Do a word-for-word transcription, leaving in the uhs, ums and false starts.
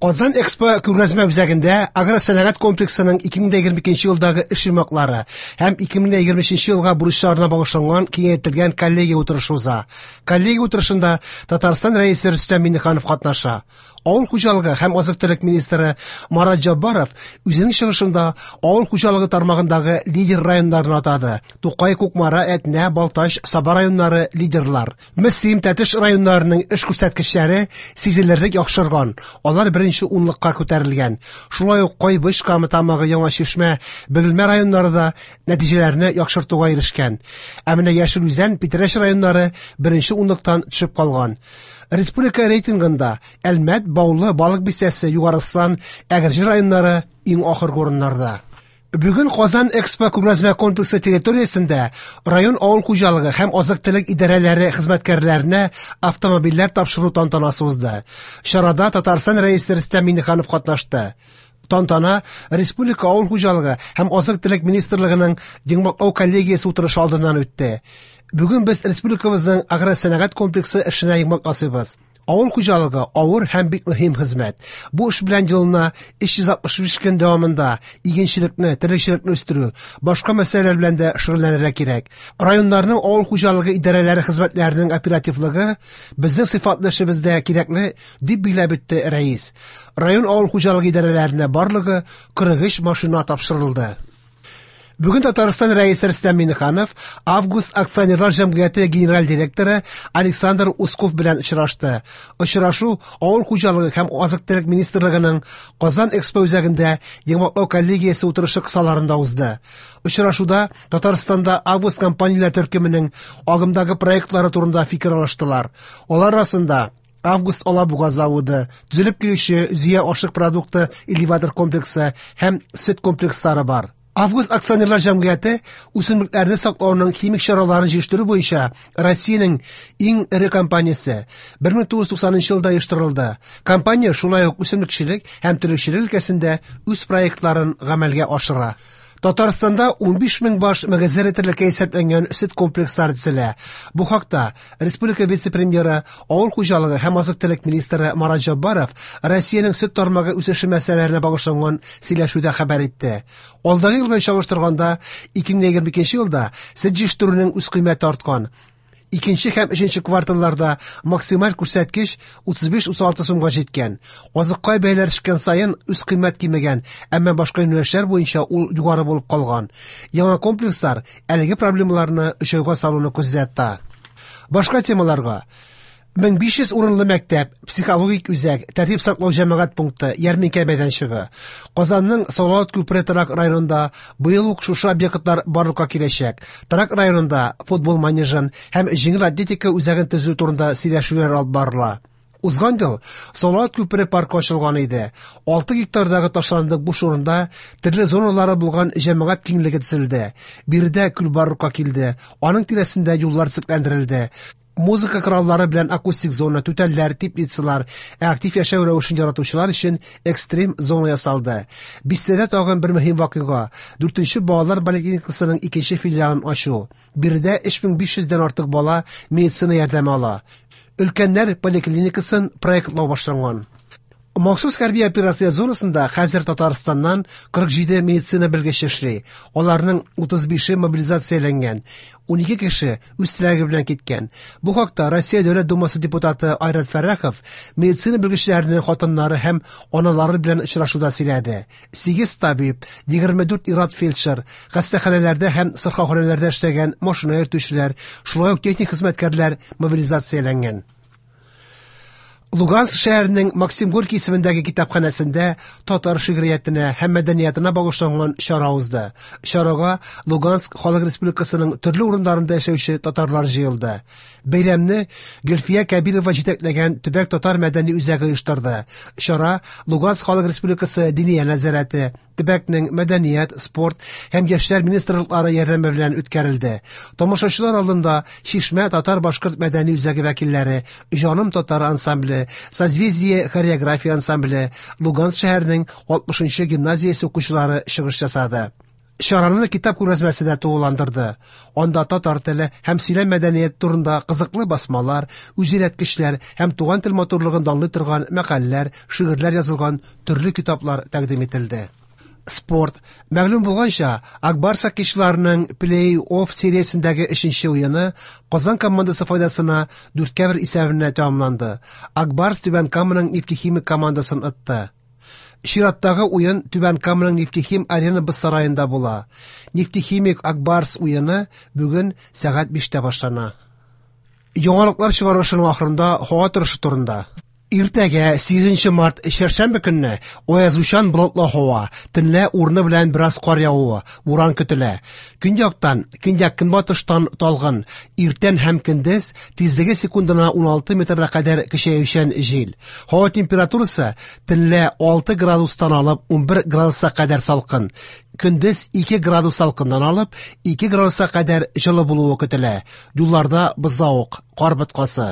Казан Экспо күргәзмә үзәгендә агросәнәгать комплексының ике мең егерме икенче елдагы эш йомгаклары һәм ике мең егерме өченче елга бурычларына багышланган киңәйтелгән коллегия утырышы уза. Коллегия утырышында Татарстан Рәисе Рөстәм Миңнеханов катнаша. Авыл хуҗалыгы һәм азык-төлек министры Марат Җаббаров үзенең чыгышында авыл хуҗалыгы тармагындагы лидер районнарны атады. Тукай, Кукмара, Әтнә, Балтач, Саба районнары лидерлар. Мөслим, Тәтеш районнарының эш күрсәткечләре сизелерлек яхшырган. Алар беренче унлыкка күтәрелгән. Шулай ук Кайбыч, Кама Тамагы, Яңа Чишмә, Бөгелмә районнары да нәтиҗәләрне яхшыртуга ирешкән. Ә менә Яшел Үзән, Питрәч районнары беренче унлыктан төшеп калган. Республика рейтингында Әлмәт, Баулы, Балык Бистәсе, Югары Ослан, Әгерҗе районнары иң ахыргы урыннарда. Бүген Казан Экспо күргәзмә комплексы территориясендә район авыл хуҗалыгы һәм азык-төлек идарәләре хезмәткәрләренә автомобильләр тапшыру тантанасы узды. Чарада Татарстан Рәисе Рөстәм Миңнеханов катнашты. Тантана Республика авыл хуҗалыгы һәм азык-төлек министрлыгының йомгаклау коллегиясе утырышы алдыннан үтте. Бүген без республикабызның агросәнәгать комплексы эшенә йомгак ясыйбыз. Авыл хуҗалыгы авыр һәм бик мөһим хезмәт. Бу эш белән елына өч йөз алтмыш биш көн дәвамында игенчелекне, терлекчелекне үстерү, башка мәсьәләләр белән дә шөгыльләнергә кирәк. Районнарның авыл хуҗалыгы идарәләре хезмәтләренең оперативлыгы безнең сыйфатлы эшебездә кирәкле, дип билгеләп үтте рәис. Район авыл хуҗалыгы идарәләренә барлыгы кырык өч машина тапшырылды. Бүген Татарстан Рәисе Рөстәм Миңнеханов Август акционерлар җәмгыяте генераль директоры Александр Усков белән очрашты. Очрашу Авыл хуҗалыгы һәм азык-төлек министрлыгының Казан Экспо үзәгендә йомгаклау коллегиясе утырышы кысаларында узды. Очрашуда Татарстанда Август компанияләр төркеменең агымдагы проектлары турында фикер алыштылар. Алар арасында Август Алабуга заводы, төзелеп килүче Зөя ашык продукты элеватор комплексы һәм сөт комплекслары бар. Август акционерлар җәмгыяте үсемлекләрне саклауның химик чараларын җитештерү буенча Россиянең иң эре компаниясе бер мең тугыз йөз туксанынчы елда оештырылды. Компания шулай ук үсемлекчелек һәм терлекчелек өлкәсендә үз проектларын гамәлгә ашыра. Татарстанда унбиш мең баш мөгезле терлеккә исәпләнгән сөт комплекслары төзелә. Бу хакта республика вице-премьеры, авыл хуҗалыгы һәм азык-төлек министры Марат Җаббаров Россиянең сөт тармагы үсеше мәсьәләләренә багышланган сөйләшүдә хәбәр итте. Алдагы ел белән чагыштырганда ике мең егерме икенче елда сөт җитештерүнең үз кыйммәте арткан. Икенче һәм өченче кварталларда максималь күрсәткеч утыз биш утыз алты сумга җиткән. Азыкка бәяләр төшкән саен үз кыйммәт кимегән, әмма башка юнәлешләр буенча ул югары булып калган. Яңа комплекслар әлеге проблемаларны җайга салуны күздә тота. Башка темаларга: мең биш йөз урынлы мәктәп, психологик үзәк, тәртип саклау җәмәгать пункты, ярминкә мәйданчыгы. Казанның Салават күпере торак районында быел ук шушы объектлар барлыкка киләчәк. Торак районында футбол манежын һәм җиңел атлетика үзәген төзү турында сөйләшүләр алып барыла. Узган ел Салават күпере паркы ачылган иде. Алты гектардагы ташландык буш урында төрле зоналары булган җәмәгать киңлеге төзелде. Биредә күл барлыкка килде. Аның тирәсендә юллар төзекләндерелде. Музыка кораллары белән акустик зона, түтәлләр, теплицалар, ә актив яшәү рәвешен яратучылар өчен экстрим зона ясалды. Бистәдә тагын бер мөһим вакыйга: дүртенче балалар поликлиникасының икенче филиалын ачу. Биредә өч мең биш йөздән артык бала медицина ярдәме ала. Өлкәннәр поликлиникасын проектлау башланган. Махсус хәрби операция зонасында хәзер Татарстаннан кырык җиде медицина белгече эшли. Аларның утыз бише мобилизацияләнгән. Унике кеше үз теләге белән киткән. Бу хакта Россия Дәүләт Думасы депутаты Айрат Фәррахов медицина белгечләренең хатыннары һәм аналары белән очрашуда сөйләде. Сигез табиб, егерме дүрт ир-ат фельдшер, хастаханәләрдә һәм сырхауханәләрдә эшләгән машина йөртүчеләр, шулай ук техник хезмәткәрләр мобилизацияләнгән. Луганск шәһәренең Максим Горький исемендәге китапханәсендә татар шигъриятенә һәм мәдәниятына багышланган чара узды. Чарага Луганск Халык Республикасының төрле урыннарында яшәүче татарлар җыелды. Бәйрәмне Гөлфия Кәбирова җитәкләгән төбәк татар мәдәни үзәге оештырды. Чара Луганск Халык Республикасы Диния нәзарәте, төбәкнең мәдәният, спорт һәм яшьләр министрлыклары ярдәме белән үткәрелде. Тамашачылар алдында Чишмә татар-башкорт мәдәни үзәге вәкилләре, Җаным татар ансамбле, Созвездие хореография ансамбле, Луганск шәһәренең алтмышынчы гимназиясе укучылары чыгыш ясады. Чараны китап күргәзмәсе дә тулыландырды. Анда татар теле һәм сөйләм мәдәнияте турында кызыклы басмалар, үзөйрәткечләр һәм туган тел матурлыгын данлый торган мәкаләләр, шигырьләр язылган төрле китаплар тәкъдим ителде. Спорт. Мәгълүм булганча, Ак Барс хоккейчыларының плей-офф сериясендәге өченче уены Казан командасы файдасына дүрткә бер исәбенә тәмамланды. Ак Барс Түбән Каманың Нефтехимик командасын отты. Чираттагы уен Түбән Каманың Нефтехим Арена боз сараенда була. Нефтехимик Ак Барс уены бүген сәгать биштә башлана. Яңалыклар чыгарылышының ахырында һава торышы турында. Иртәгә сигезенче март чәршәмбе көнне аязучан болытлы һава, төнлә урыны белән бераз кар явуы, буран көтелә. Көньяктан, көньяк-көнбатыштан талгын, иртән һәм көндез тизлеге секундына уналты метрга кадәр көчәючән җил. Һава температурасы төнлә алты градустан алып унбер градуска кадәр салкын. Көндез ике градус салкыннан алып ике градуска кадәр җылы булуы көтелә. Юлларда бозлавык, кар боткасы.